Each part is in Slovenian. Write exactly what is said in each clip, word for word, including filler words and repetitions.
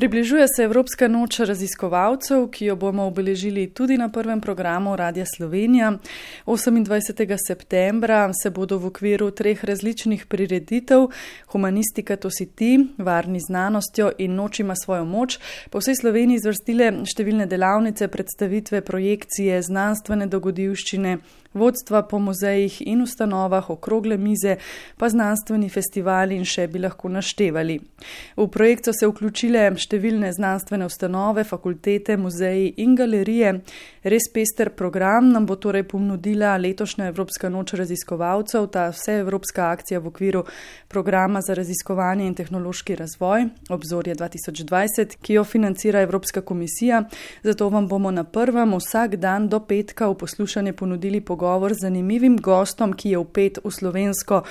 Približuje se Evropska noč raziskovalcev, ki jo bomo obeležili tudi na prvem programu Radia Slovenija. osemindvajsetega septembra se bodo v okviru treh različnih prireditev, Humanistika to si ti, Varni znanostjo in Noč ima svojo moč, po vsej Sloveniji zvrstile številne delavnice, predstavitve, projekcije, znanstvene dogodivščine, vodstva po muzejih in ustanovah, okrogle mize, pa znanstveni festivali in še bi lahko naštevali. V projekt so se vključile številne znanstvene ustanove, fakultete, muzeji in galerije. Res pester program nam bo torej ponudila letošnja Evropska noč raziskovalcev, ta vseevropska akcija v okviru programa za raziskovanje in tehnološki razvoj Obzorje dva tisoč dvajset, ki jo financira Evropska komisija. Zato vam bomo na prvem vsak dan do petka v poslušanje ponudili pogovor z zanimivim gostom, ki je vpet v slovensko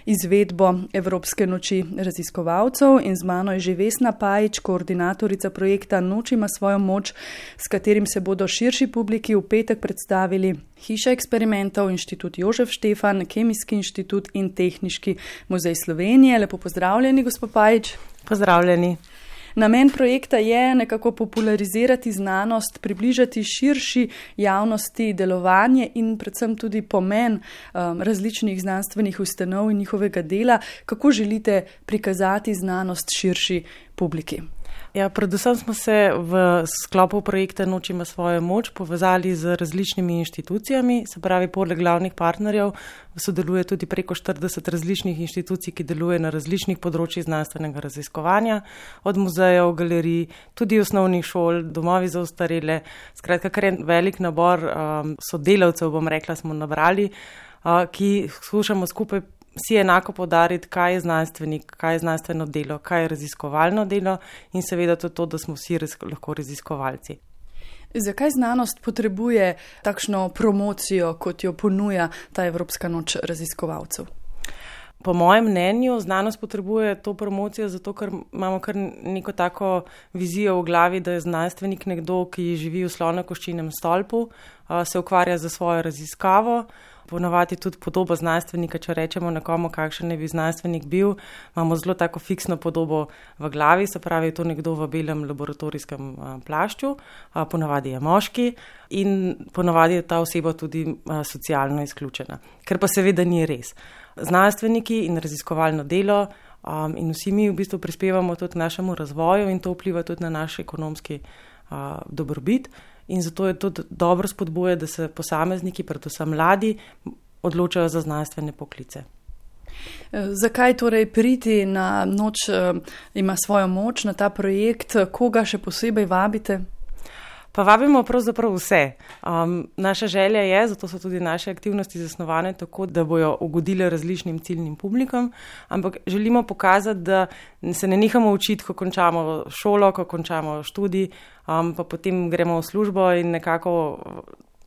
izvedbo Evropske noči raziskovalcev, in z mano je že Vesna Pajič, koordinatorica projekta Noč ima svojo moč, s katerim se bodo širši publiki v petek predstavili Hiša eksperimentov, Inštitut Jožef Štefan, Kemijski inštitut in Tehniški muzej Slovenije. Lepo pozdravljeni, gospod Pajič. Pozdravljeni. Namen projekta je nekako popularizirati znanost, približati širši javnosti delovanje in predvsem tudi pomen um, različnih znanstvenih ustanov in njihovega dela. Kako želite prikazati znanost širši publiki? Ja, predvsem smo se v sklopu projekta Noč ima svojo moč povezali z različnimi inštitucijami, se pravi, poleg glavnih partnerjev sodeluje tudi preko štirideset različnih inštitucij, ki deluje na različnih področjih znanstvenega raziskovanja, od muzejev, galerij, tudi osnovnih šol, domovi za ostarele. Skratka, kar je velik nabor um, sodelavcev, bom rekla, smo nabrali, uh, ki skušamo skupaj vsi enako poudariti, kaj je znanstvenik, kaj je znanstveno delo, kaj je raziskovalno delo in seveda to, to da smo vsi raz, lahko raziskovalci. Zakaj znanost potrebuje takšno promocijo, kot jo ponuja ta Evropska noč raziskovalcev? Po mojem mnenju znanost potrebuje to promocijo zato, ker imamo kar neko tako vizijo v glavi, da je znanstvenik nekdo, ki živi v slonokoščinem stolpu, se ukvarja za svojo raziskavo. Ponavadi tudi podobo znanstvenika, če rečemo nekomu, kakšen ne bi znanstvenik bil, imamo zelo tako fiksno podobo v glavi, se pravi, to nekdo v belem laboratorijskem plašču, ponavadi je moški in ponavadi je ta oseba tudi socialno izključena, ker pa seveda ni res. Znanstveniki in raziskovalno delo um, in vsi mi v bistvu prispevamo tudi k našemu razvoju in to vpliva tudi na naš ekonomski uh, dobrobit. In zato je tudi dobro spodbuje, da se posamezniki, predvsem mladi, odločajo za znanstvene poklice. Zakaj torej priti na Noč ima svojo moč, na ta projekt, koga še posebej vabite? Pa vabimo pravzaprav vse. Um, naša želja je, zato so tudi naše aktivnosti zasnovane tako, da bojo ugodile različnim ciljnim publikom, ampak želimo pokazati, da se ne nehamo učiti, ko končamo šolo, ko končamo študij, um, pa potem gremo v službo in nekako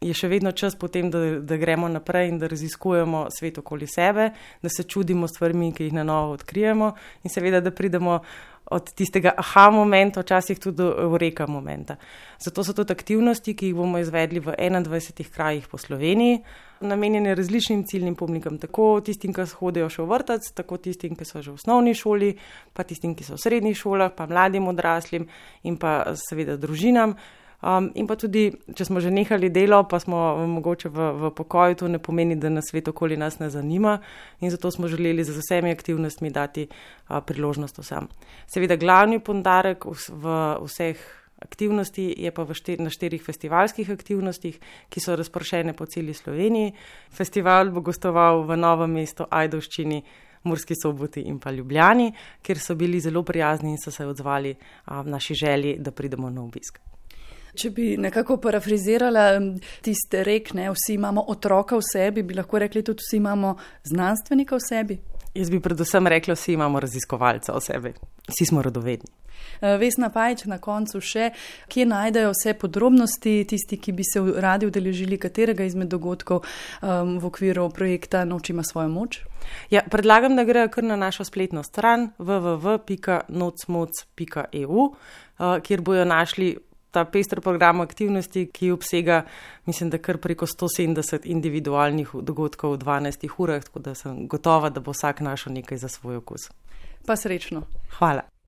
je še vedno čas potem, da, da gremo naprej in da raziskujemo svet okoli sebe, da se čudimo stvarmi, ki jih na novo odkrijemo in seveda, da pridemo od tistega aha momenta, včasih tudi do eureka momenta. Zato so tudi aktivnosti, ki jih bomo izvedli v enaindvajsetih krajih po Sloveniji, namenjene različnim ciljnim publikom, tako tistim, ki hodijo še v vrtec, tako tistim, ki so že v osnovni šoli, pa tistim, ki so v srednjih šolah, pa mladim odraslim in pa seveda družinam. Um, in pa tudi, če smo že nehali delo, pa smo mogoče v, v pokoju, to ne pomeni, da nas svet okoli nas ne zanima in zato smo želeli z vsemi aktivnostmi dati a, priložnost vsem. Seveda glavni poudarek v, v vseh aktivnosti je pa v štir, na štirih festivalskih aktivnostih, ki so razpršene po celi Sloveniji. Festival bo gostoval v Novem mestu, Ajdovščini, Murski Soboti in pa Ljubljani, kjer so bili zelo prijazni in so se odzvali a, v naši želji, da pridemo na obisk. Če bi nekako parafrizirala tiste rek, ne, vsi imamo otroka v sebi, bi lahko rekli tudi vsi imamo znanstvenika v sebi? Jaz bi predvsem rekla, vsi imamo raziskovalca v sebi. Vsi smo radovedni. Vesna Pajič, na koncu še, kje najdejo vse podrobnosti tisti, ki bi se radi udeležili katerega izmed dogodkov um, v okviru projekta Noč ima svojo moč? Ja, predlagam, da grejo kar na našo spletno stran w w w pika nocmoc pika e u, uh, kjer bojo našli ta pester program aktivnosti, ki obsega, mislim, da kar preko sto sedemdeset individualnih dogodkov v dvanajstih urah, tako da sem gotova, da bo vsak našel nekaj za svoj okus. Pa srečno. Hvala.